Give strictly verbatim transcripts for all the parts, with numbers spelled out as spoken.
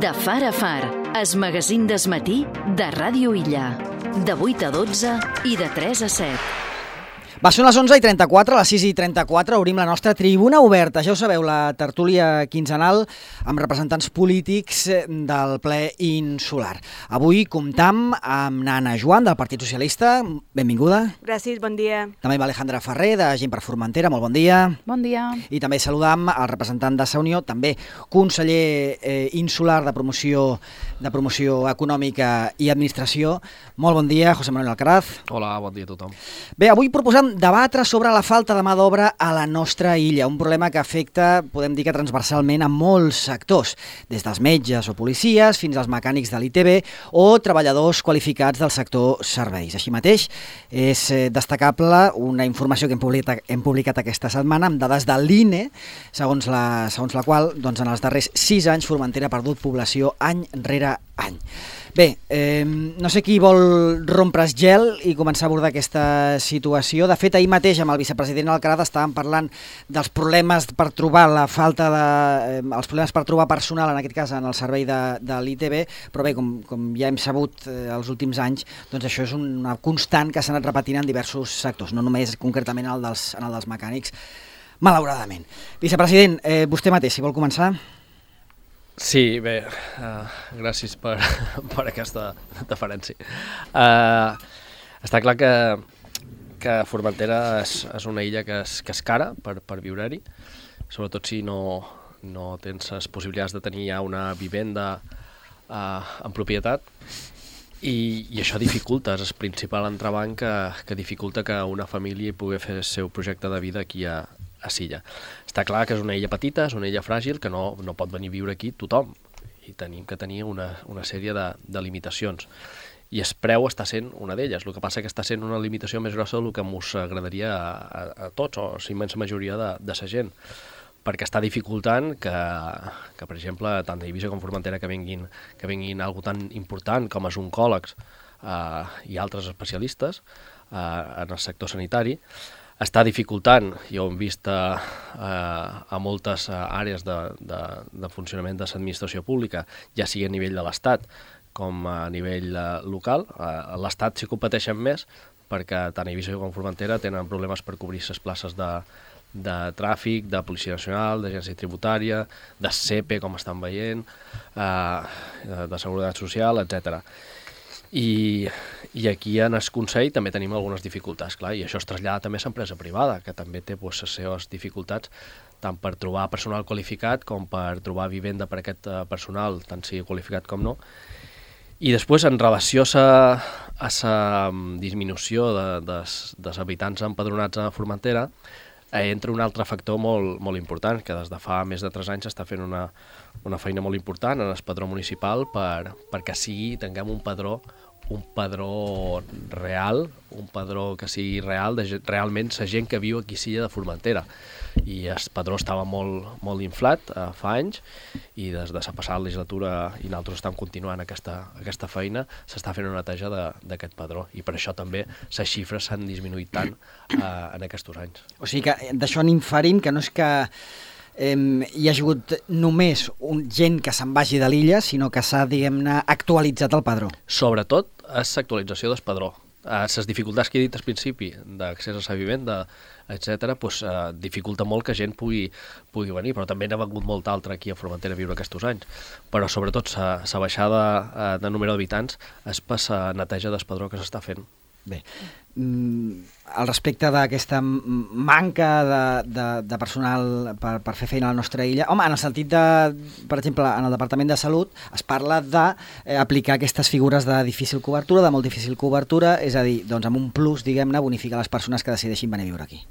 De far a far, es magazín des matí de Ràdio Illa. De vuit a dotze i de tres a set. Va, són les onze i trenta-quatre, a les sis i trenta-quatre obrim la nostra tribuna oberta. Ja ho sabeu, la tertúlia quinzenal amb representants polítics del ple insular. Avui comptam amb Nana Joan, del Partit Socialista. Benvinguda. Gràcies, bon dia. També amb Alejandra Ferrer, de Gent per Formentera. Molt bon dia. Bon dia. I també saludam el representant de Sa Unió, també conseller eh, insular de promoció, de promoció econòmica i administració. Molt bon dia, José Manuel Alcaraz. Hola, bon dia a tothom. Bé, avui proposem debatre sobre la falta de mà d'obra a la nostra illa, un problema que afecta, podem dir que transversalment, a molts sectors, des dels metges o policies fins als mecànics de l'I T B o treballadors qualificats del sector serveis. Així mateix, és destacable una informació que hem publicat, hem publicat aquesta setmana amb dades de l'I N E, segons la, segons la qual doncs, en els darrers sis anys Formentera ha perdut població any rere any. Bé, eh, no sé qui vol rompre's gel i començar a abordar aquesta situació. De fet, ahir mateix amb el vicepresident Alcaraz estàvem parlant dels problemes per trobar la falta de... Eh, els problemes per trobar personal, en aquest cas en el servei de, de l'I T B, però bé, com, com ja hem sabut eh, els últims anys, doncs això és una constant que s'ha anat repetint en diversos sectors, no només concretament el dels, en el dels mecànics, malauradament. Vicepresident, eh, vostè mateix, si vol començar... Sí, bé, uh, gràcies per, per aquesta deferència. Uh, està clar que, que Formentera és, és una illa que és, que és cara per, per viure-hi, sobretot si no, no tens les possibilitats de tenir ja una vivenda uh, en propietat, i, i això dificulta, és el principal entrebanc que, que dificulta que una família pugui fer el seu projecte de vida aquí a, a Silla. Està clar que és una illa petita, és una illa fràgil, que no, no pot venir a viure aquí tothom, i tenim que tenir una, una sèrie de, de limitacions. I el preu està sent una d'elles, el que passa que està sent una limitació més grossa del que ens agradaria a, a, a tots, o a la immensa majoria de, de la gent, perquè està dificultant que, que per exemple, tant d'Eivissa com Formentera que vinguin, que vinguin algo tan important com els oncòlegs eh, i altres especialistes eh, en el sector sanitari. Està dificultant, ja ho hem vist a, a, a moltes àrees de, de, de funcionament de l'administració pública, ja sigui a nivell de l'Estat com a nivell local. A l'Estat s'hi competeixen més perquè tant Eivissa com Formentera tenen problemes per cobrir les places de, de tràfic, de Policia Nacional, d'Agència Tributària, de S E P E, com estan veient, eh, de Seguretat Social, etcètera. I, i aquí en el Consell també tenim algunes dificultats, clar, i això es trasllada també a l'empresa privada, que també té pues, les seves dificultats tant per trobar personal qualificat com per trobar vivenda per aquest personal, tant sigui qualificat com no. I després, en relació a la disminució de, de, dels habitants empadronats a Formentera, eh, entra un altre factor molt, molt important, que des de fa més de tres anys s'està fent una, una feina molt important en el padró municipal per, perquè sigui, tinguem un padró un padró real, un padró que sigui real, de realment la gent que viu aquí a Silla de Formentera. I el padró estava molt, molt inflat eh, fa anys, i des de la passada legislatura, i nosaltres estem continuant aquesta, aquesta feina, s'està fent una neteja d'aquest padró, i per això també les xifres s'han disminuït tant eh, en aquests anys. O sigui que d'això n'inferim que no és que eh, hi ha hagut només un, gent que se'n vagi de l'illa, sinó que s'ha, diguem-ne, actualitzat el padró. Sobretot és l'actualització del padró. Les dificultats que he dit al principi d'accés a la vivenda, etcètera, pues, eh, dificulta molt que gent pugui, pugui venir, però també n'ha vengut molt altra aquí a Formentera a viure aquests anys. Però sobretot la baixada eh, de número d'habitants és per la neteja del padró que s'està fent. Bé, al respecte d'aquesta manca de, de, de personal per, per fer feina a la nostra illa, home, en el sentit de, per exemple, en el Departament de Salut es parla d'aplicar eh, aquestes figures de difícil cobertura, de molt difícil cobertura, és a dir, doncs amb un plus, diguem-ne, bonificar les persones que decideixin venir a viure aquí.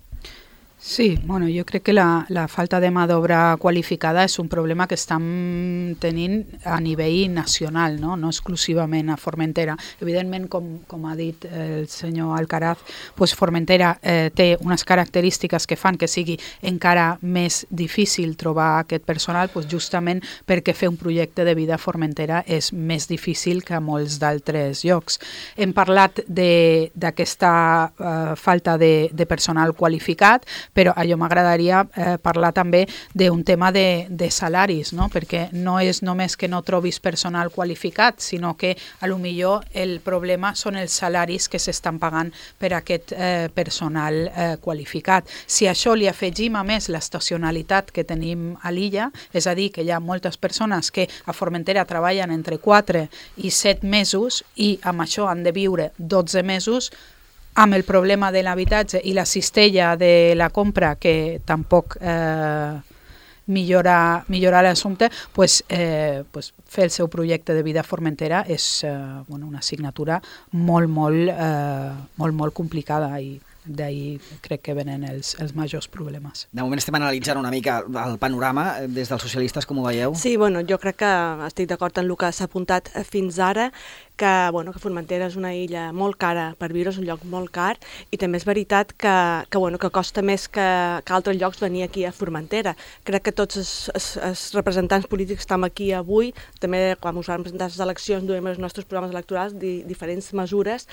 Sí, bueno, jo crec que la, la falta de mà d'obra qualificada és un problema que estem tenint a nivell nacional, no, no exclusivament a Formentera. Evidentment, com, com ha dit el senyor Alcaraz, pues Formentera eh, té unes característiques que fan que sigui encara més difícil trobar aquest personal, pues justament perquè fer un projecte de vida a Formentera és més difícil que a molts d'altres llocs. Hem parlat d'aquesta eh, falta de, de personal qualificat, Però a jo m'agradaria eh, parlar també d'un tema de, de salaris, no? Perquè no és només que no trobis personal qualificat, sinó que a lo millor el problema són els salaris que s'estan pagant per aquest eh, personal eh, qualificat. Si a això li afegim a més l'estacionalitat que tenim a l'illa, és a dir, que hi ha moltes persones que a Formentera treballen entre quatre i set mesos i amb això han de viure dotze mesos, amb el problema de l'habitatge i la cistella de la compra que tampoc eh, millora, millora l'assumpte, pues, eh, pues fer el seu projecte de vida a Formentera és eh, bueno, una assignatura molt, molt, eh, molt, molt complicada i d'ahir crec que venen els, els majors problemes. De moment estem analitzant una mica el panorama des dels socialistes, com ho veieu? Sí, bueno, jo crec que estic d'acord en el que s'ha apuntat fins ara, que, bueno, que Formentera és una illa molt cara per viure, és un lloc molt car, i també és veritat que, que, bueno, que costa més que, que altres llocs venir aquí a Formentera. Crec que tots els, els, els representants polítics que estem aquí avui, també quan us vam presentar les eleccions, duem els nostres programes electorals di, diferents mesures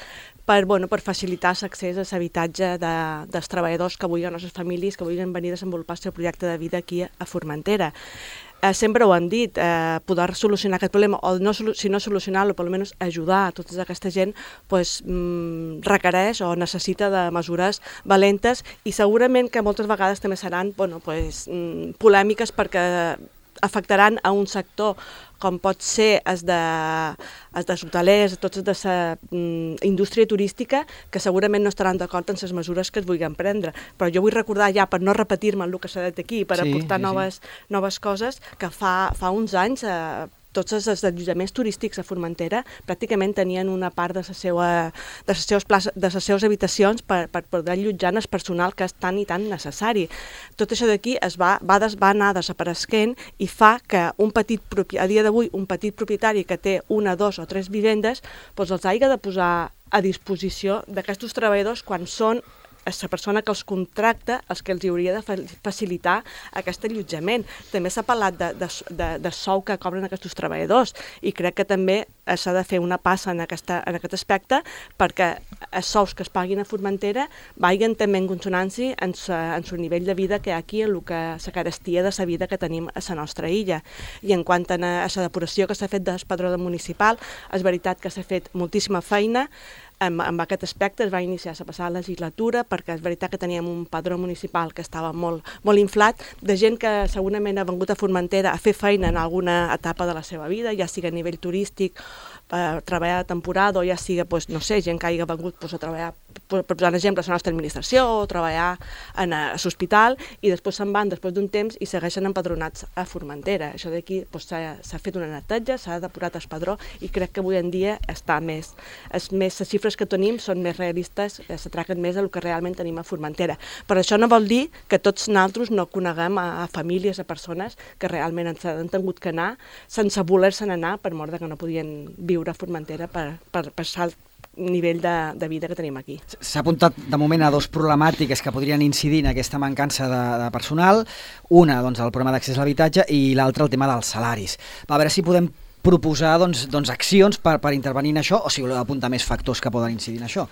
per, bueno, per facilitar l'accés a l'habitatge de, dels treballadors que avui, les nostres famílies, que vulguin venir a desenvolupar el seu projecte de vida aquí a Formentera. Eh, sempre ho han dit, eh, poder solucionar aquest problema, o no, si no solucionar-lo, però almenys ajudar a tota aquesta gent, pues, mm, requereix o necessita de mesures valentes, i segurament que moltes vegades també seran, bueno, pues, mm, polèmiques, perquè afectaran a un sector com pot ser els de, els dels hotelers, tots els de la mm, indústria turística, que segurament no estaran d'acord en les mesures que es vulguin prendre. Però jo vull recordar ja, per no repetir-me el que s'ha dit aquí, per sí, aportar sí, noves, sí. noves coses, que fa, fa uns anys eh, tots els allotjaments turístics a Formentera pràcticament tenien una part de les seves, de les seves, places, de les seves habitacions per, per poder allotjar el personal que és tan i tan necessari. Tot això d'aquí es va, va, des, va anar desapareixent i fa que un petit, a dia d'avui un petit propietari que té una, dos o tres vivendes doncs els hagi de posar a disposició d'aquests treballadors quan són la persona que els contracta, els que els hauria de facilitar aquest allotjament. També s'ha parlat de, de, de, de sou que cobren aquests treballadors, i crec que també s'ha de fer una passa en, aquesta, en aquest aspecte perquè els sous que es paguin a Formentera vagin també en consonància en el nivell de vida que hi ha aquí, en el que la carestia de la vida que tenim a la nostra illa. I en quant a la depuració que s'ha fet del padró municipal, és veritat que s'ha fet moltíssima feina. En, en aquest aspecte es va iniciar la passada legislatura, perquè és veritat que teníem un padró municipal que estava molt, molt inflat, de gent que segurament ha vengut a Formentera a fer feina en alguna etapa de la seva vida, ja sigui a nivell turístic, per treballar de temporada, o ja sigui, pues, no sé, gent que hagi vengut pues, a treballar, per posar un exemple, a la nostra administració, o treballar en l'hospital, i després se'n van després d'un temps i segueixen empadronats a Formentera. Això d'aquí pues, s'ha fet una neteja, s'ha depurat el padró, i crec que avui en dia està més, és més les xifres que tenim són més realistes, s'atraquen més del que realment tenim a Formentera. Però això no vol dir que tots nosaltres no coneguem a, a famílies, a persones que realment ens han tingut que anar sense voler-se'n anar per mort que no podien viure a Formentera per, per passar el nivell de, de vida que tenim aquí. S'ha apuntat de moment a dos problemàtiques que podrien incidir en aquesta mancança de, de personal. Una, doncs, el problema d'accés a l'habitatge, i l'altra, el tema dels salaris. A veure si podem proposar doncs, doncs, accions per, per intervenir en això, o si voleu apuntar més factors que poden incidir en això.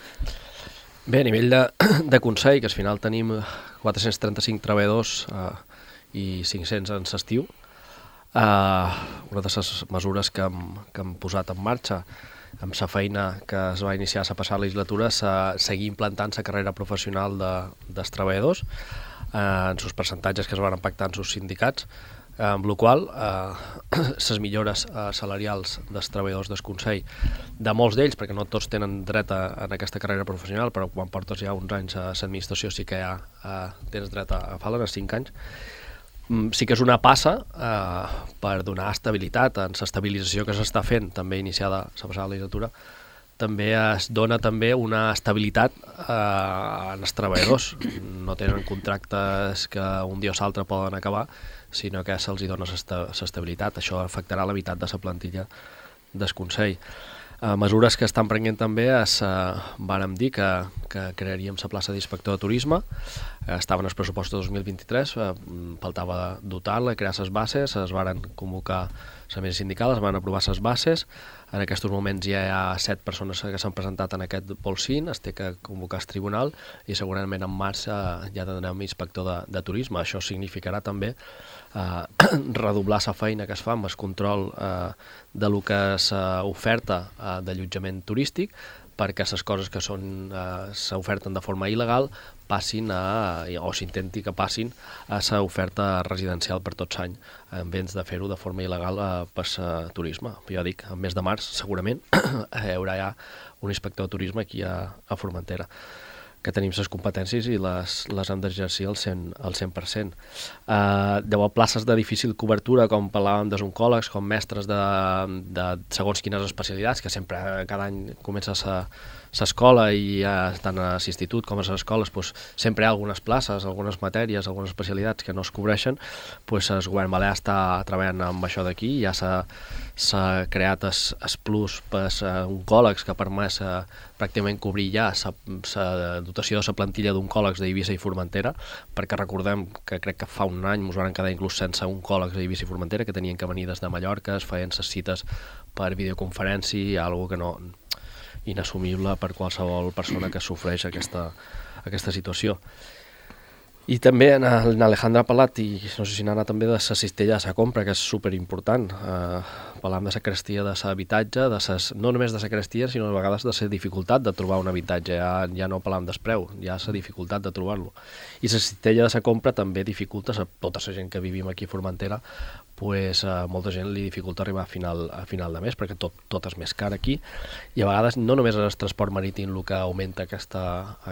Bé, a nivell de, de Consell, que al final tenim quatre-cents trenta-cinc treballadors eh, i cinc-cents en l'estiu, eh, una de les mesures que hem, que hem posat en marxa amb la feina que es va iniciar a la passada legislatura és seguir implantant la carrera professional de, dels treballadors eh, en els percentatges que es van pactar en els sindicats, eh, amb la qual les eh, millores eh, salarials dels treballadors del Consell, de molts d'ells, perquè no tots tenen dret a, a aquesta carrera professional, però quan portes ja uns anys a l'administració sí que ja eh, tens dret a, a fer-la, en cinc anys, sí que és una passa eh, per donar estabilitat en l'estabilització que s'està fent, també iniciada la passada legislatura. També es dona també una estabilitat eh, en els treballadors. No tenen contractes que un dia o l'altre poden acabar, sinó que se'ls dona l'estabilitat. Això afectarà la meitat de la plantilla del Consell. Uh, mesures que estan prenent també es uh, vàrem dir que, que crearíem la plaça d'inspector de turisme, uh, estava en el pressupost de dos mil vint-i-tres, uh, faltava dotar-la, crear les bases, es varen convocar la mesa sindical, es van aprovar les bases. En aquests moments ja hi ha set persones que s'han presentat en aquest bolsín, es té que convocar el tribunal i segurament en març eh, ja tindrem inspector de, de turisme. Això significarà també eh, redoblar la feina que es fa amb el control eh, de lo que s'oferta eh, d'allotjament turístic, perquè les coses que són eh, s'oferten de forma il·legal passin a, o s'intenti que passin a l'oferta residencial per tots l'any, en vez de fer-ho de forma il·legal eh, per a turisme. Jo dic, en mes de març segurament hi haurà ja un inspector de turisme aquí a, a Formentera, que tenim les competències i les, les hem d'exercir al cent per cent. Uh, deu haver places de difícil cobertura, com parlàvem dels oncòlegs, com mestres de, de segons quines especialitats, que sempre cada any comença l'escola i ja tant a l'institut com a les escoles pues, sempre hi ha algunes places, algunes matèries, algunes especialitats que no es cobreixen. Pues, el govern balear està treballant amb això d'aquí, ja s'ha s'ha creat el plus per als oncòlegs que ha permès eh, pràcticament cobrir ja la dotació de la plantilla d'oncòlegs d'Eivissa i Formentera, perquè recordem que crec que fa un any ens van quedar inclús sense oncòlegs d'Eivissa i Formentera, que tenien que venir des de Mallorca, es feien les cites per videoconferència, algo que no inassumible per qualsevol persona que sofreix aquesta, aquesta situació. I també en Alejandra ha parlat, i no sé si n'ha anat també, de la cistella de la compra, que és superimportant. Eh, parlam de la carestia de l'habitatge, de ses, no només de la carestia, sinó a vegades de la dificultat de trobar un habitatge. Ja, ja no parlam del preu, ja la dificultat de trobar-lo. I la cistella de la compra també dificulta a tota la gent que vivim aquí a Formentera, pues, a molta gent li dificulta arribar a final, a final de mes, perquè tot, tot és més car aquí, i a vegades no només és el transport marítim el que augmenta aquesta,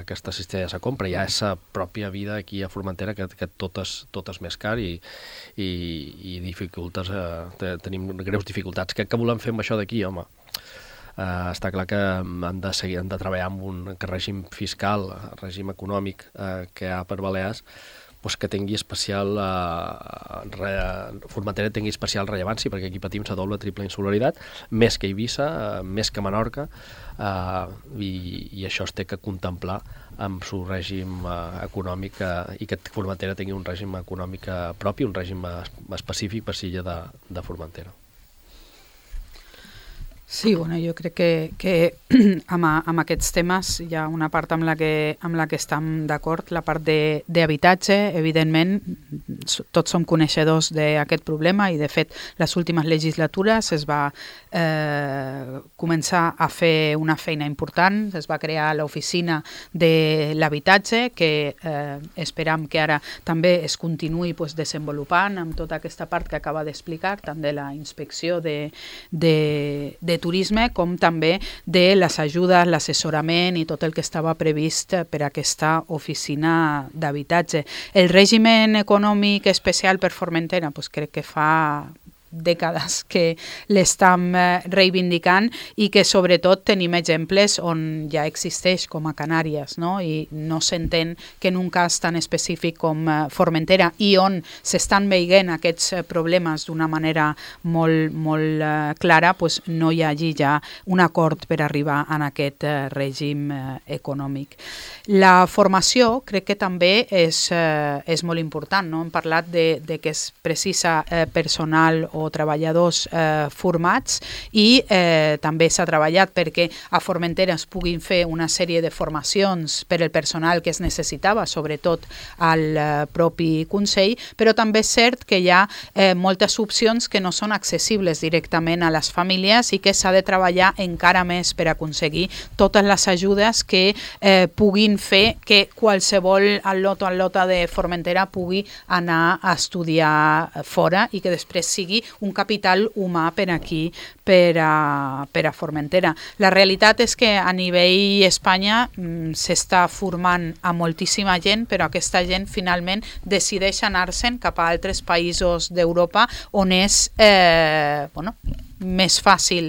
aquesta cistella de la compra, ja és la pròpia vida aquí a Formentera, que, que tot, és, tot és més car i, i, i dificultes, eh, tenim greus dificultats. Què, què volem fer amb això d'aquí, home? Uh, està clar que han de, seguir, han de treballar amb un règim fiscal, règim econòmic uh, que hi ha per Balears, pues que tingui especial uh, re, Formentera tingui especial rellevància, perquè aquí patim la doble triple insularitat, més que Eivissa, uh, més que Menorca, uh, i, i això es té que contemplar amb el règim uh, econòmic uh, i que Formentera tingui un règim econòmic uh, propi, un règim uh, específic per l'illa de, de Formentera. Sí, bueno, jo crec que, que amb, amb aquests temes hi ha una part amb la que, amb la que estem d'acord, la part d'habitatge, evidentment, tots som coneixedors d'aquest problema i, de fet, les últimes legislatures es va eh, començar a fer una feina important, es va crear l'oficina de l'habitatge, que eh, esperam que ara també es continuï pues, desenvolupant amb tota aquesta part que acaba d'explicar, tant de la inspecció de, de, de turisme com també de les ajudes, l'assessorament i tot el que estava previst per a aquesta oficina d'habitatge. El règim econòmic especial per Formentera, pues crec que fa dècades que l'estem reivindicant i que sobretot tenim exemples on ja existeix com a Canàries, no? I no s'entén que en un cas tan específic com Formentera i on s'estan veient aquests problemes d'una manera molt, molt clara, pues no hi hagi ja un acord per arribar a aquest règim econòmic. La formació crec que també és, és molt important, no? Hem parlat de, de que es precisa personal o treballadors eh, formats i eh, també s'ha treballat perquè a Formentera es puguin fer una sèrie de formacions per al personal que es necessitava, sobretot al eh, propi Consell, però també és cert que hi ha eh, moltes opcions que no són accessibles directament a les famílies i que s'ha de treballar encara més per aconseguir totes les ajudes que eh, puguin fer que qualsevol al·lot o al·lota de Formentera pugui anar a estudiar fora i que després sigui un capital humà per aquí, per a, per a Formentera. La realitat és que a nivell Espanya mm, s'està formant a moltíssima gent, però aquesta gent finalment decideix anar-se'n cap a altres països d'Europa on és eh, bueno, més fàcil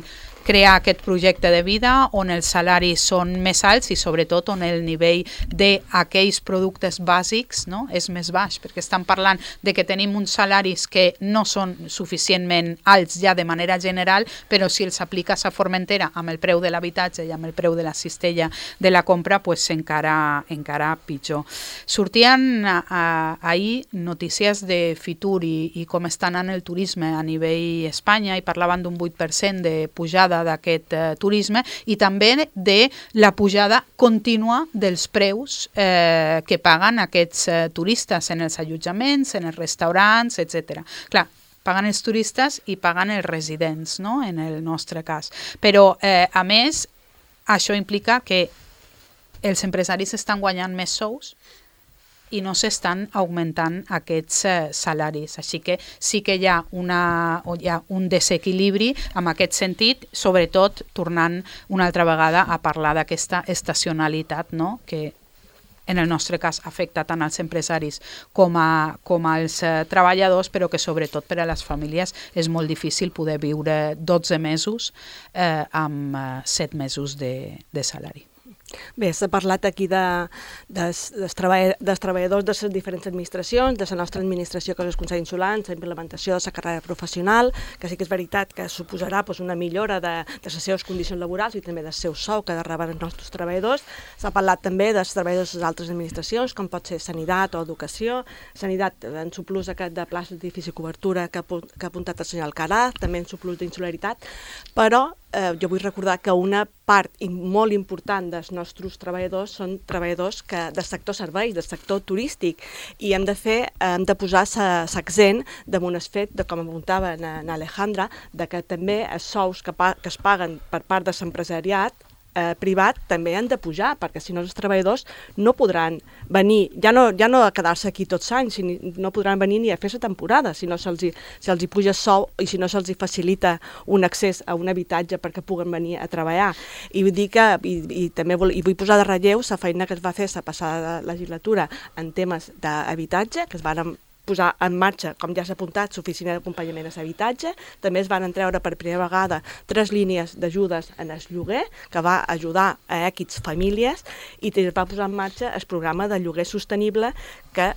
crear aquest projecte de vida on els salaris són més alts i sobretot on el nivell d'aquells productes bàsics, no, és més baix, perquè estan parlant de que tenim uns salaris que no són suficientment alts ja de manera general, però si els apliques a Formentera amb el preu de l'habitatge i amb el preu de la cistella de la compra, pues encara, encara pitjor. Sortien a, ahir notícies de Fitur i, i com està anant el turisme a nivell Espanya i parlaven d'un vuit per cent de pujada d'aquest eh, turisme i també de la pujada contínua dels preus eh, que paguen aquests eh, turistes en els allotjaments, en els restaurants, etcètera. Clar, paguen els turistes i paguen els residents, no?, en el nostre cas. Però, eh, a més, això implica que els empresaris estan guanyant més sous i no s'estan augmentant aquests eh, salaris. Així que sí que hi ha, una, hi ha un desequilibri en aquest sentit, sobretot tornant una altra vegada a parlar d'aquesta estacionalitat, no?, que en el nostre cas afecta tant als empresaris com, a, com als eh, treballadors, però que sobretot per a les famílies és molt difícil poder viure dotze mesos eh, amb eh, set mesos de, de salari. Bé, s'ha parlat aquí de, dels, dels, treball, dels treballadors de les diferents administracions, de la nostra administració, que és el Consell Insular, la implementació de la carrera professional, que sí que és veritat que suposarà doncs, una millora de, de les seves condicions laborals i també del seu sou que reben els nostres treballadors. S'ha parlat també dels treballadors de les altres administracions, com pot ser Sanitat o Educació. Sanitat, en su plus aquest de places de difícil cobertura que ha, que ha apuntat el senyor Alcaraz, també en su plus d'insularitat, però eh, jo vull recordar que una part molt important dels nostres treballadors són treballadors que, del sector serveis, del sector turístic, i hem de fer, hem de posar l'accent damunt el fet, de, com apuntava en Alejandra, de que també els sous que, pa, que es paguen per part de l'empresariat eh, privat també han de pujar, perquè si no els treballadors no podran venir, ja no, ja no a quedar-se aquí tots anys, no podran venir ni a fer la temporada, si no se'ls si els hi puja sou i si no se'ls facilita un accés a un habitatge perquè puguen venir a treballar. I vull dir que, i, i també vol, i vull posar de relleu la feina que es va fer la passada legislatura en temes d'habitatge, que es van posar en marxa, com ja s'ha apuntat, l'oficina d'acompanyament a l'habitatge. També es van treure per primera vegada tres línies d'ajudes en el lloguer, que va ajudar a equips famílies, i es va posar en marxa el programa de lloguer sostenible, que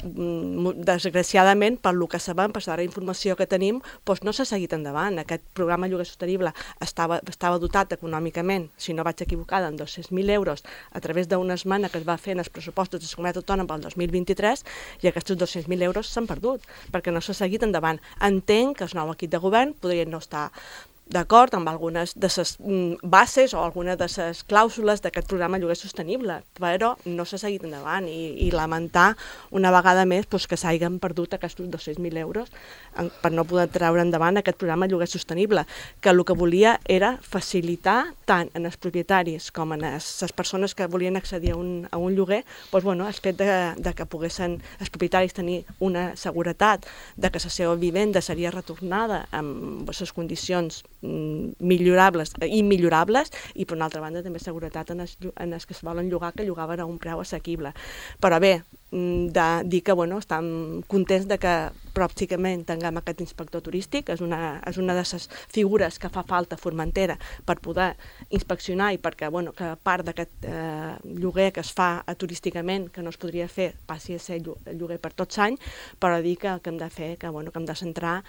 desgraciadament, per lo que sabem, per la informació que tenim, doncs no s'ha seguit endavant. Aquest programa de lloguer sostenible estava, estava dotat econòmicament, si no vaig equivocada, en dos-cents mil euros a través d'una esmena que es va fer en els pressupostos de la Comunitat Autònoma pel dos mil vint-i-tres, i aquests dos-cents mil euros s'han perdut, perquè no s'ha seguit endavant. Entenc que el nou equip de govern podria no estar d'acord amb algunes de les bases o algunes de les clàusules d'aquest programa lloguer sostenible, però no s'ha seguit endavant i, i lamentar una vegada més doncs, que s'hagin perdut aquests dos-cents mil euros en, per no poder treure endavant aquest programa lloguer sostenible, que el que volia era facilitar tant en els propietaris com en les, les persones que volien accedir a un, a un lloguer, doncs, bueno, el fet de, de que poguessin els propietaris tenir una seguretat de que la seva vivenda seria retornada amb les condicions millorables, immillorables, i per una altra banda també seguretat en els, en els que es volen llogar, que llogaven a un preu assequible. Però bé, de dir que bueno, estem contents de que pròximament tinguem aquest inspector turístic, és una, és una de les figures que fa falta a Formentera per poder inspeccionar i perquè bueno, que part d'aquest eh, lloguer que es fa turísticament, que no es podria fer, passi a ser lloguer per tots anys, però dir que el que hem de fer, que, bueno, que hem de centrar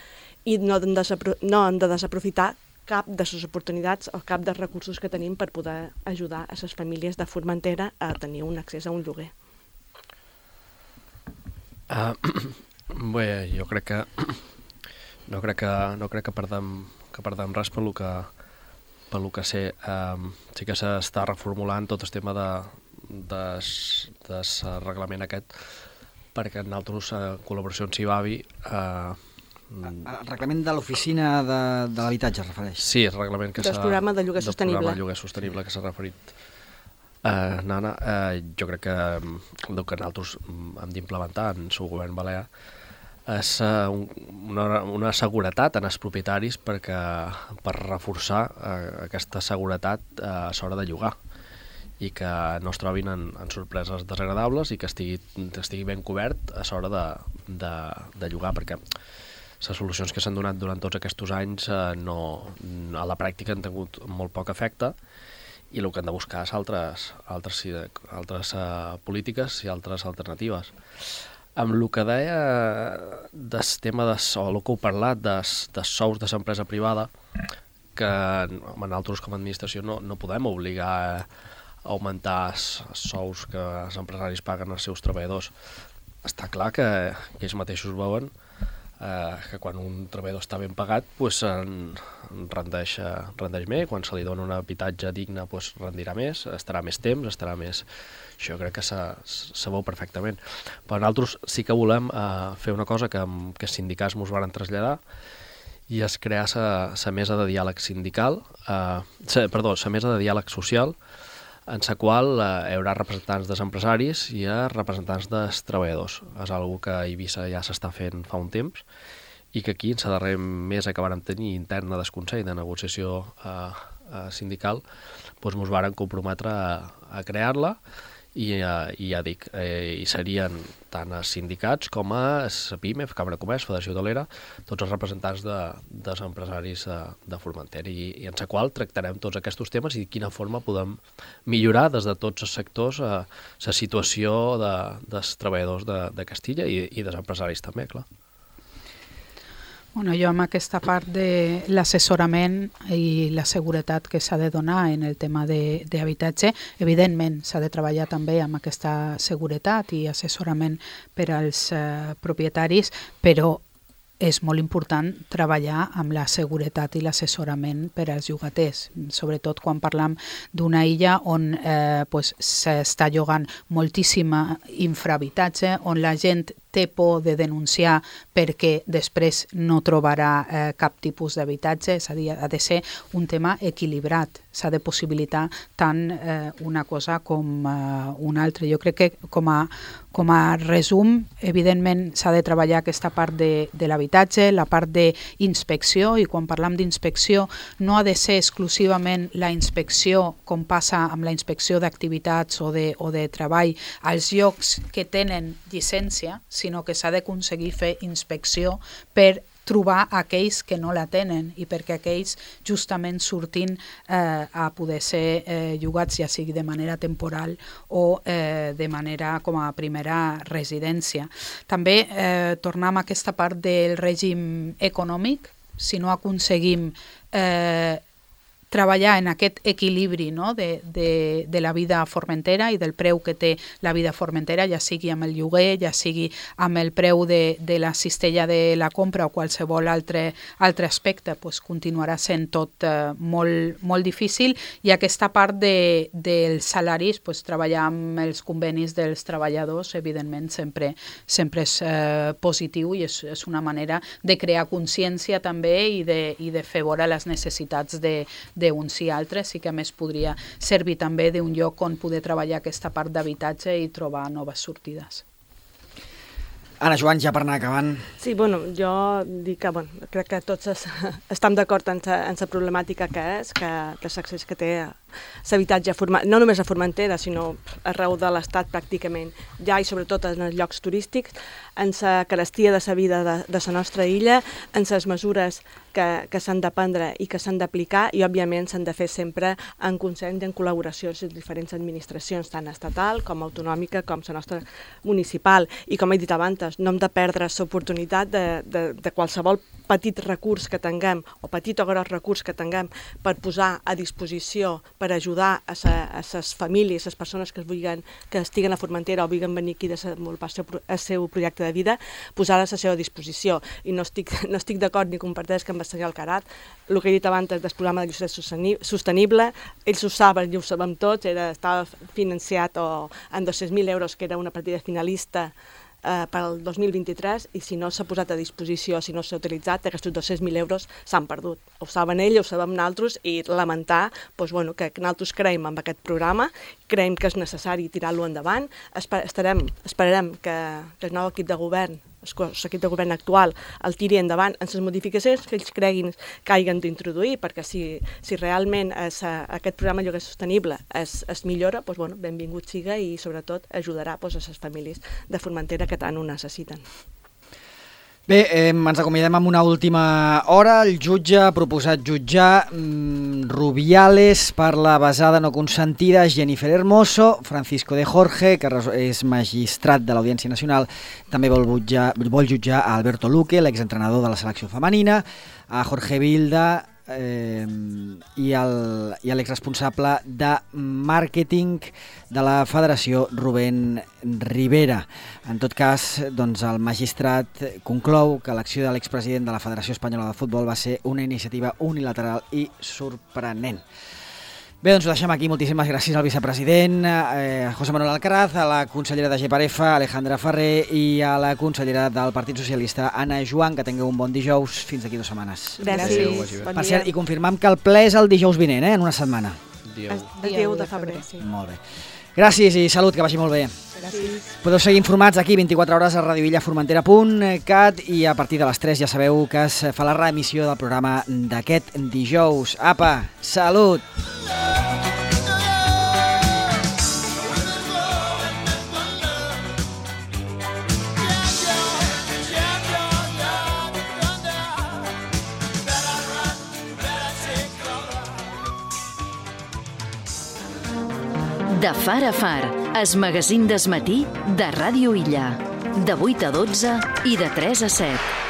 i no hem de, no hem de desaprofitar cap de les oportunitats o cap dels recursos que tenim per poder ajudar a les famílies de Formentera a tenir un accés a un lloguer. Uh, bé, jo crec que no crec que, no crec que perdem, que perdem res pel que, pel que sé. Um, sí que s'està reformulant tot el tema de, del de, de reglament aquest, perquè nosaltres, en col·laboració amb Cibavi, uh, el reglament de l'oficina de, de l'habitatge es refereix? Sí, el reglament que s'ha... Del programa de lloguer sostenible. Del programa de lloguer sostenible que s'ha referit. Uh, Nana, uh, jo crec que el que nosaltres hem d'implementar en el govern balear és uh, un, una, una seguretat en els propietaris perquè, per reforçar uh, aquesta seguretat uh, a l'hora de llogar i que no es trobin en, en sorpreses desagradables i que estigui, estigui ben cobert a l'hora de, de, de llogar, perquè les solucions que s'han donat durant tots aquests anys eh, no, a la pràctica han tingut molt poc efecte i el que han de buscar és altres, altres, altres uh, polítiques i altres alternatives. Amb el que deia del tema de, o el que heu parlat dels de sous de l'empresa privada, que nosaltres com a administració no, no podem obligar a augmentar els sous que els empresaris paguen als seus treballadors. Està clar que, que ells mateixos veuen eh, que quan un treballador està ben pagat pues, en, en rendeix, rendeix més, quan se li dona un habitatge digne pues, rendirà més, estarà més temps, estarà més... Això crec que se, se veu perfectament. Però nosaltres sí que volem eh, fer una cosa que, que els sindicats ens van traslladar i és crear la mesa de diàleg sindical, eh, sa, perdó, la mesa de diàleg social, en la qual eh, hi haurà representants dels empresaris i representants dels treballadors. És una cosa que a Eivissa ja s'està fent fa un temps i que aquí, en la darrera mesa que vàrem tenir interna del Consell de Negociació eh, eh, Sindical, doncs ens vàrem comprometre a, a crear-la i, eh, i ja dic, eh, hi serien tant els sindicats com a la PIME, Cambra de Comerç, Federació Hotelera, tots els representants de, dels empresaris de, de Formentera i, i en la qual tractarem tots aquests temes i de quina forma podem millorar des de tots els sectors eh, la situació de, dels treballadors de, de Castilla i, i dels empresaris també, clar. Bueno, jo amb aquesta part de l'assessorament i la seguretat que s'ha de donar en el tema d'habitatge, evidentment s'ha de treballar també amb aquesta seguretat i assessorament per als eh, propietaris, però és molt important treballar amb la seguretat i l'assessorament per als llogaters, sobretot quan parlam d'una illa on eh, pues, s'està llogant moltíssima infrahabitatge, on la gent té por de denunciar perquè després no trobarà eh, cap tipus d'habitatge, és a dir, ha de ser un tema equilibrat, s'ha de possibilitar tant eh, una cosa com eh, una altra. Jo crec que com a, com a resum, evidentment s'ha de treballar aquesta part de, de l'habitatge, la part d'inspecció, i quan parlam d'inspecció no ha de ser exclusivament la inspecció com passa amb la inspecció d'activitats o, de, o de treball als llocs que tenen llicència, sinó que s'ha d'aconseguir fer inspecció per trobar aquells que no la tenen i perquè aquells justament surtin eh, a poder ser eh, llogats, ja sigui de manera temporal o eh, de manera com a primera residència. També eh, tornem a aquesta part del règim econòmic, si no aconseguim eh, treballar en aquest equilibri, no? de, de, de la vida formentera i del preu que té la vida formentera, ja sigui amb el lloguer, ja sigui amb el preu de, de la cistella de la compra o qualsevol altre, altre aspecte, pues continuarà sent tot eh, molt, molt difícil, i aquesta part de, dels salaris, pues, treballar amb els convenis dels treballadors, evidentment sempre, sempre és eh, positiu i és, és una manera de crear consciència també i de, i de fer veure les necessitats de, de d'uns i altres, i que a més podria servir també d'un lloc on poder treballar aquesta part d'habitatge i trobar noves sortides. Ana Joan, ja per anar acabant. Sí, bueno, jo dic que bueno, crec que tots es, estem d'acord en la problemàtica que és, que, que l'accés que té l'habitatge, no només a Formentera, sinó arreu de l'Estat pràcticament, ja i sobretot en els llocs turístics, en la carestia de la vida de, de la nostra illa, en les mesures que, que s'han de prendre i que s'han d'aplicar, i òbviament s'han de fer sempre en consens i en col·laboració amb les diferents administracions, tant estatal com autonòmica com la nostra municipal. I com he dit abans, no hem de perdre l'oportunitat de, de, de qualsevol petit recurs que tinguem, o petit o gros recurs que tinguem, per posar a disposició, per ajudar a les famílies, a les persones que, es vulguin, que estiguen a Formentera o vulguin venir aquí a desenvolupar el seu projecte de vida, posar a la seva disposició. I no estic, no estic d'acord ni comparteix que amb el senyor Alcarat, el que he dit abans del programa de lloguer sostenible, ells ho saben i ho sabem tots, era, estava financiat o, en dos-cents mil euros, que era una partida finalista eh, per al dos mil vint-i-tres, i si no s'ha posat a disposició, si no s'ha utilitzat, aquests dos-cents mil euros s'han perdut. Ho saben ells, ho sabem nosaltres, i lamentar doncs, bueno, que nosaltres creiem en aquest programa, creiem que és necessari tirar-lo endavant, estarem, esperarem que, que el nou equip de govern, l'equip de govern actual, el tiri endavant en les modificacions que ells creguin que hagin d'introduir, perquè si, si realment és, aquest programa lloguer sostenible es, es millora, doncs, bueno, benvingut siga, i sobretot ajudarà doncs, a les famílies de Formentera que tant ho necessiten. Bé, eh, ens acomiadem amb una última hora. El jutge ha proposat jutjar mm, Rubiales per la besada no consentida, Jennifer Hermoso. Francisco de Jorge, que és magistrat de l'Audiència Nacional, també vol jutjar, vol jutjar a Alberto Luque, l'exentrenador de la selecció femenina, a Jorge Vilda, Eh, i l'exresponsable de màrqueting de la Federació, Rubén Rivera. En tot cas, doncs, el magistrat conclou que l'acció de l'expresident de la Federació Espanyola de Futbol va ser una iniciativa unilateral i sorprenent. Bé, doncs ho deixem aquí. Moltíssimes gràcies al vicepresident, eh, José Manuel Alcaraz, a la consellera de G P R F, Alejandra Ferrer, i a la consellera del Partit Socialista, Anna Joan. Que tingueu un bon dijous. Fins d'aquí dues setmanes. Gràcies. Adéu, bon per cert, i confirmam que el ple és el dijous vinent, eh, en una setmana. Adéu. Adéu de febrer. Sí. Molt bé. Gràcies i salut, que vagi molt bé. Gràcies. Podeu seguir informats aquí vint-i-quatre hores a radio illa formentera punt cat i a partir de les tres ja sabeu que es fa la reemissió del programa d'aquest dijous. Apa, salut! De far a far, es magazín des matí de Ràdio Illa. De vuit a dotze i de tres a set.